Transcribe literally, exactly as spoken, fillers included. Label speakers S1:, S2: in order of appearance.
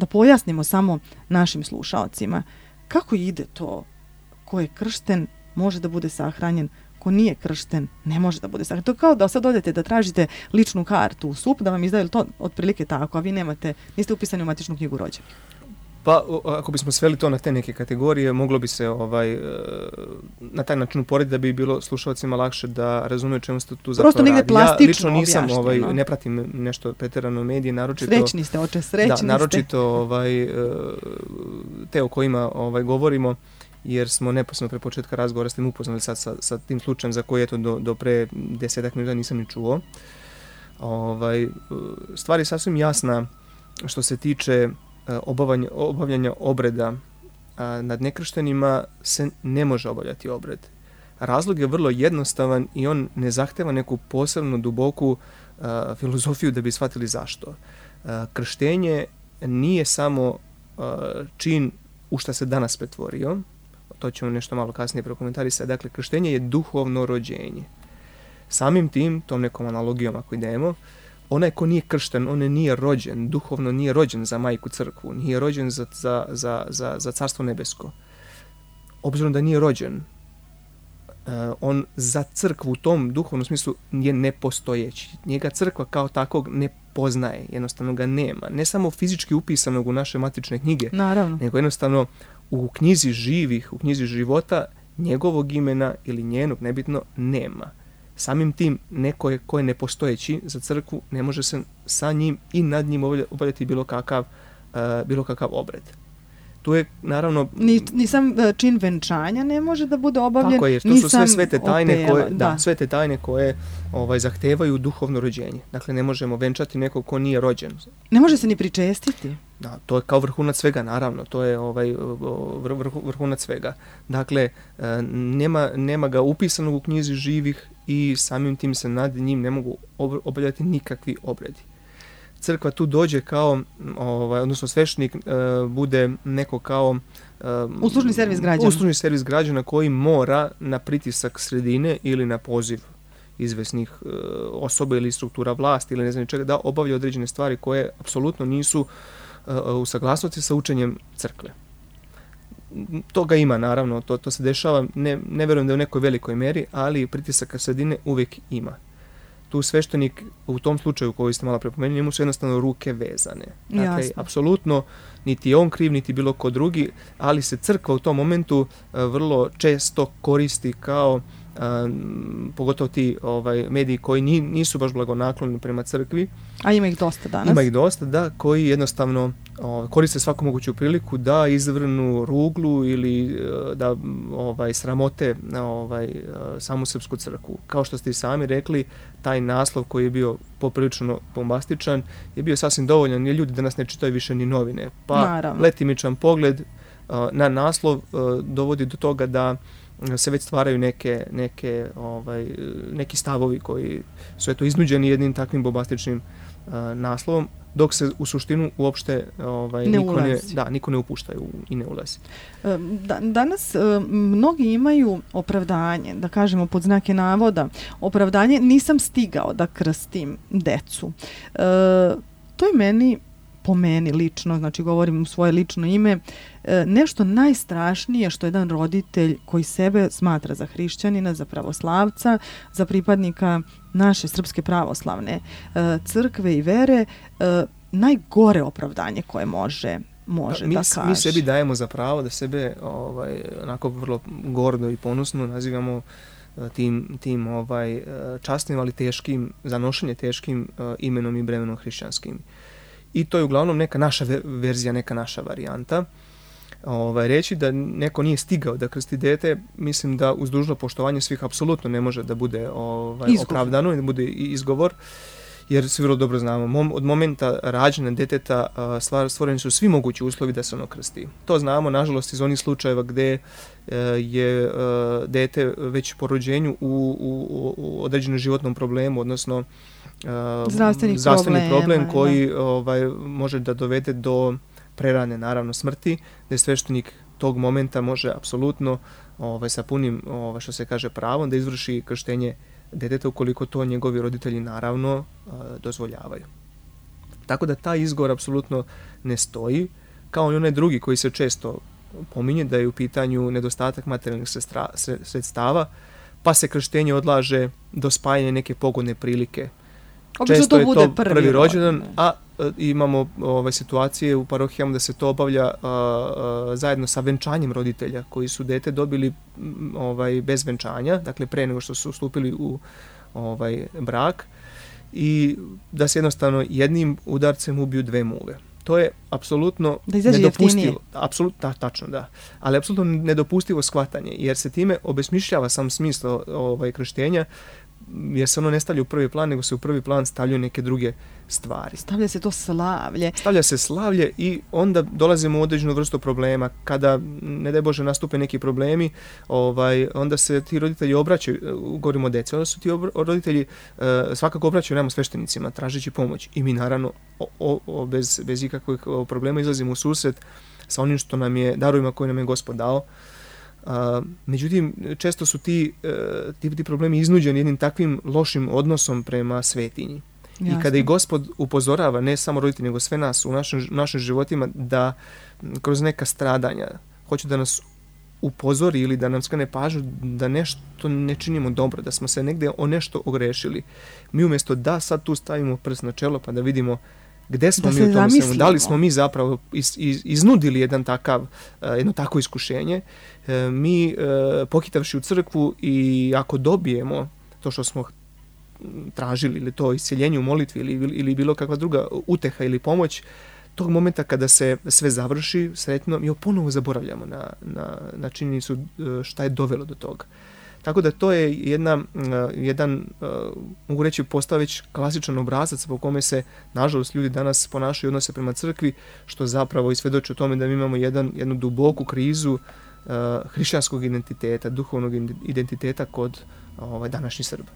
S1: da pojasnimo samo našim slušaocima kako ide to, ko je kršten može da bude sahranjen, ko nije kršten ne može da bude sahranjen. To je kao da sad odete da tražite ličnu kartu u S U P, da vam izdaju to otprilike tako, a vi nemate, niste upisani u matičnu knjigu rođenih.
S2: Pa ako bismo sveli to na te neke kategorije, moglo bi se ovaj na taj način uporediti da bi bilo slušalcima lakše da razumiju čemu se tu zapravo
S1: Prosto negdje plastično
S2: ja lično nisam ovaj
S1: no?
S2: ne pratim nešto pretjerano medije, naročito
S1: srećni ste, oče, srećni ste.
S2: Da, naročito ovaj te o kojima ovaj govorimo, jer smo neposredno pre početka razgovora s tim upoznali sad sa, sa tim slučajem za koji eto do, do pre desetak minuta nisam ni čuo. Ovaj stvar je sasvim jasna što se tiče Obavljanja, obavljanja obreda a, nad nekrštenima se ne može obavljati obred. Razlog je vrlo jednostavan i on ne zahteva neku posebnu duboku a, filozofiju da bi shvatili zašto. A, krštenje nije samo a, čin u šta se danas pretvorio, to ćemo nešto malo kasnije prokomentarisati. Dakle, krštenje je duhovno rođenje. Samim tim, tom nekom analogijom ako idemo, onaj ko nije kršten, on nije rođen, duhovno nije rođen za majku crkvu, nije rođen za, za, za, za, za carstvo nebesko. Obzirom da nije rođen, uh, on za crkvu u tom duhovnom smislu je nepostojeći. Njega crkva kao takvog ne poznaje, jednostavno ga nema. Ne samo fizički upisanog u naše matične knjige,
S1: naravno,
S2: nego jednostavno u knjizi živih, u knjizi života, njegovog imena ili njenog, nebitno, nema. Samim tim, neko je ko je nepostojeći za crkvu, ne može se sa njim i nad njim obavljati bilo kakav, uh, bilo kakav obred. Tu je, naravno...
S1: Ni, ni sam čin venčanja ne može da bude obavljen.
S2: Tako je, to su sve svete tajne
S1: opela,
S2: koje, da,
S1: da.
S2: sve te tajne koje ovaj, zahtevaju duhovno rođenje. Dakle, ne možemo venčati nekog ko nije rođen.
S1: Ne može se ni pričestiti.
S2: Da, to je kao vrhunac svega, naravno, to je ovaj vrh, vrh, vrhunac svega. Dakle, nema, nema ga upisanog u knjizi živih i samim tim se nad njim ne mogu obavljati nikakvi obredi. Crkva tu dođe kao, ovaj, odnosno sveštenik e, bude neko kao e,
S1: uslužni servis građana.
S2: Uslužni servis građana koji mora na pritisak sredine ili na poziv izvesnih e, osoba ili struktura vlasti ili ne znam čega da obavlja određene stvari koje apsolutno nisu e, u saglasnosti sa učenjem crkve. Toga ima, naravno, to, to se dešava, ne, ne verujem da je u nekoj velikoj meri, ali pritisaka sredine uvijek ima. Tu sveštenik u tom slučaju koji ste malo prepomenuli, njemu su jednostavno ruke vezane. Dakle, apsolutno niti je on kriv, niti bilo ko drugi, ali se crkva u tom momentu a, vrlo često koristi kao, a, pogotovo ti ovaj, mediji koji ni, nisu baš blagonakloni prema crkvi.
S1: A ima ih dosta danas.
S2: Ima ih dosta, da, koji jednostavno o, koriste svaku moguću priliku da izvrnu ruglu ili da ovaj, sramote ovaj, samu srpsku crkvu. Kao što ste i sami rekli, taj naslov koji je bio poprilično bombastičan je bio sasvim dovoljan, jer ljudi danas ne čitaju više ni novine. Pa
S1: naravno,
S2: letimičan pogled uh, na naslov uh, dovodi do toga da se već stvaraju neke, neke, ovaj, neki stavovi koji su eto iznuđeni jednim takvim bombastičnim uh, naslovom, dok se u suštinu uopšte ovaj,
S1: ne
S2: niko, ne,
S1: ulazi.
S2: da, niko ne upušta i ne ulazi.
S1: Da, danas mnogi imaju opravdanje, da kažemo pod znake navoda, opravdanje nisam stigao da krstim decu. E, to je meni, po meni lično, znači govorim u svoje lično ime, e, nešto najstrašnije što jedan roditelj koji sebe smatra za hrišćanina, za pravoslavca, za pripadnika naše srpske pravoslavne e, crkve i vere, e, najgore opravdanje koje može može
S2: mi,
S1: da kaže.
S2: Mi sebi dajemo za pravo da sebe ovaj, onako vrlo gordo i ponosno nazivamo tim, tim ovaj, častnim, ali teškim, za nošenje teškim uh, imenom i bremenom hrišćanskim. I to je uglavnom neka naša verzija, neka naša varijanta. Ovaj, reći da neko nije stigao da krsti dete, mislim da uz dužno poštovanje svih apsolutno ne može da bude ovaj, opravdano i da bude izgovor, jer svi vrlo dobro znamo, mom, od momenta rađanja deteta stvar, stvoreni su svi mogući uslovi da se ono krsti. To znamo, nažalost, iz onih slučajeva gde uh, je uh, dete već po rođenju u, u, u određenom životnom problemu, odnosno uh,
S1: zdravstveni,
S2: zdravstveni
S1: problema,
S2: problem koji
S1: da.
S2: ovaj, može da dovede do prerane, naravno, smrti, da je sveštenik tog momenta može apsolutno ovaj, sa punim, ovaj, što se kaže, pravom da izvrši krštenje deteta ukoliko to njegovi roditelji naravno uh, dozvoljavaju. Tako da taj izgovor apsolutno ne stoji, kao i onaj drugi koji se često pominje, da je u pitanju nedostatak materijalnih sredstava, pa se krštenje odlaže do spajanja neke pogodne prilike.
S1: Obično
S2: Često
S1: to
S2: je
S1: bude
S2: to
S1: prvi,
S2: prvi rođendan,
S1: rođendan,
S2: a e, imamo ove situacije u parohijama da se to obavlja a, a, zajedno sa venčanjem roditelja koji su dete dobili m, ovaj, bez venčanja, dakle pre nego što su stupili u ovaj, brak, i da se jednostavno jednim udarcem ubiju dve muve. To je apsolutno nedopustivo. Apsolutno, da, tačno, da. Ali apsolutno nedopustivo shvatanje, jer se time obesmišljava sam smisao ovaj, krštenja, jer se ono ne stavlja u prvi plan, nego se u prvi plan stavljaju neke druge stvari.
S1: Stavlja se to slavlje.
S2: Stavlja se slavlje i onda dolazimo u određenu vrstu problema. Kada, ne daj Bože, nastupe neki problemi, ovaj, onda se ti roditelji obraćaju, govorimo o deci, onda su ti obr- roditelji uh, svakako obraćaju nama sveštenicima, tražeći pomoć. I mi naravno o, o, o, bez, bez ikakvih problema izlazimo u susret sa onim što nam je, darovima koje nam je Gospod dao. Uh, međutim, često su ti, uh, ti, ti problemi iznuđeni jednim takvim lošim odnosom prema svetinji. Jasne. I kada i Gospod upozorava, ne samo roditelji, nego sve nas u našim, našim životima, da kroz neka stradanja hoće da nas upozori ili da nam skrene pažnju da nešto ne činimo dobro, da smo se negde o nešto ogrešili. Mi umjesto da sad tu stavimo prst na čelo pa da vidimo gde smo mi u tom svemu, da li smo mi zapravo iz, iz, iznudili jedan takav, jedno tako iskušenje, mi pokitavši u crkvu i ako dobijemo to što smo tražili, ili to isceljenje u molitvi ili, ili bilo kakva druga uteha ili pomoć, tog momenta kada se sve završi sretno, mi ponovo zaboravljamo na, na, na činjenicu šta je dovelo do toga. Tako da to je jedna, jedan, mogu reći, postao već klasičan obrazac po kome se, nažalost, ljudi danas ponašaju i odnose prema crkvi, što zapravo i svedoči o tome da mi imamo jedan, jednu duboku krizu hrišćanskog identiteta, duhovnog identiteta kod ovaj, današnjih Srba.